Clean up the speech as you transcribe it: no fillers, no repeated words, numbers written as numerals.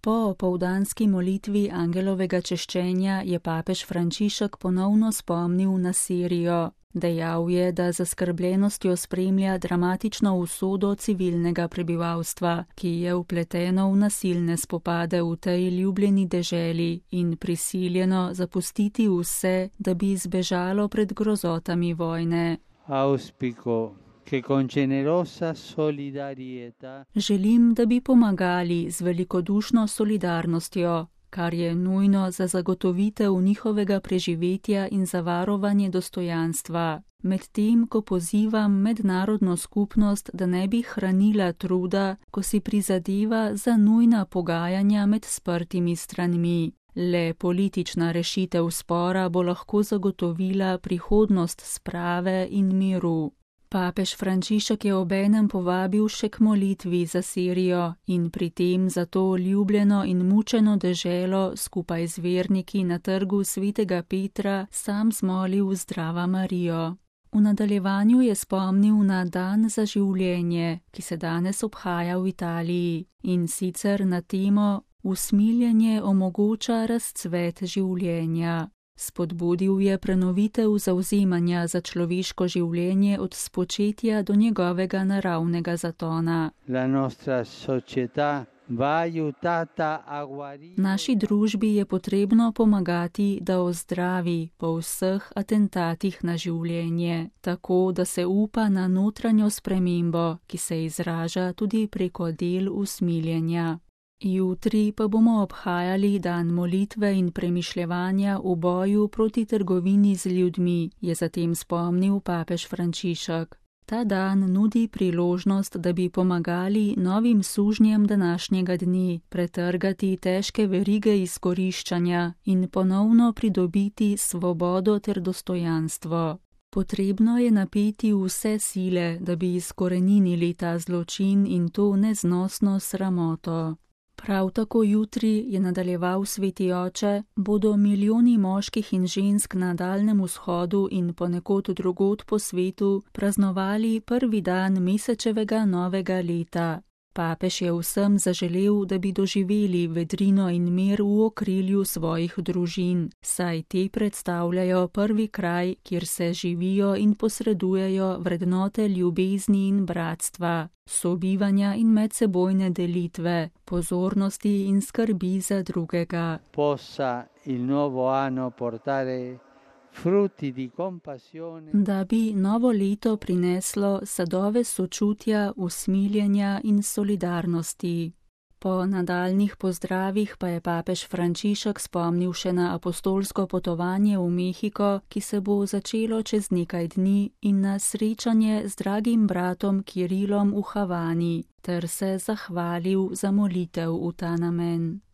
Po opoldanski molitvi angelovega češčenja je papež Frančišek ponovno spomnil na Sirijo. Dejal je, da z zaskrbljenostjo spremlja dramatično usodo civilnega prebivalstva, ki je vpleteno v nasilne spopade v tej ljubljeni deželi in prisiljeno zapustiti vse, da bi zbežalo pred grozotami vojne. Želim, da bi pomagali z velikodušno solidarnostjo, kar je nujno za zagotovitev njihovega preživetja in za varovanje dostojanstva, medtem ko pozivam mednarodno skupnost, da ne bi hranila truda, ko si prizadeva za nujna pogajanja med sprtimi stranmi. Le politična rešitev spora bo lahko zagotovila prihodnost sprave in miru. Papež Frančišek je obenem povabil še k molitvi za Sirijo in pri tem za to ljubljeno in mučeno deželo skupaj z verniki na trgu svetega Petra sam zmolil Zdrava Marijo. V nadaljevanju je spomnil na Dan za življenje, ki se danes obhaja v Italiji, in sicer na temo Usmiljenje omogoča razcvet življenja. Spodbudil je prenovitev zavzemanja za človeško življenje od spočetja do njegovega naravnega zatona. Naši družbi je potrebno pomagati, da ozdravi po vseh atentatih na življenje, tako da se upa na notranjo spremembo, ki se izraža tudi preko del usmiljenja. Jutri pa bomo obhajali dan molitve in premišljevanja v boju proti trgovini z ljudmi, je zatem spomnil papež Frančišek. Ta dan nudi priložnost, da bi pomagali novim sužnjem današnjega dni pretrgati težke verige izkoriščanja in ponovno pridobiti svobodo ter dostojanstvo. Potrebno je napeti vse sile, da bi izkoreninili ta zločin in to neznosno sramoto. Prav tako jutri, je nadaljeval sveti oče, bodo milijoni moških in žensk na Daljnem vzhodu in ponekod drugod po svetu praznovali prvi dan mesečevega novega leta. Papež je vsem zaželel, da bi doživeli vedrino in mir v okrilju svojih družin, saj te predstavljajo prvi kraj, kjer se živijo in posredujejo vrednote ljubezni in bratstva, sobivanja in medsebojne delitve, pozornosti in skrbi za drugega. Da bi novo leto prineslo sadove sočutja, usmiljenja in solidarnosti. Po nadaljnjih pozdravih pa je papež Frančišek spomnil še na apostolsko potovanje v Mehiko, ki se bo začelo čez nekaj dni, in na srečanje z dragim bratom Kirilom v Havani, ter se zahvalil za molitev v ta namen.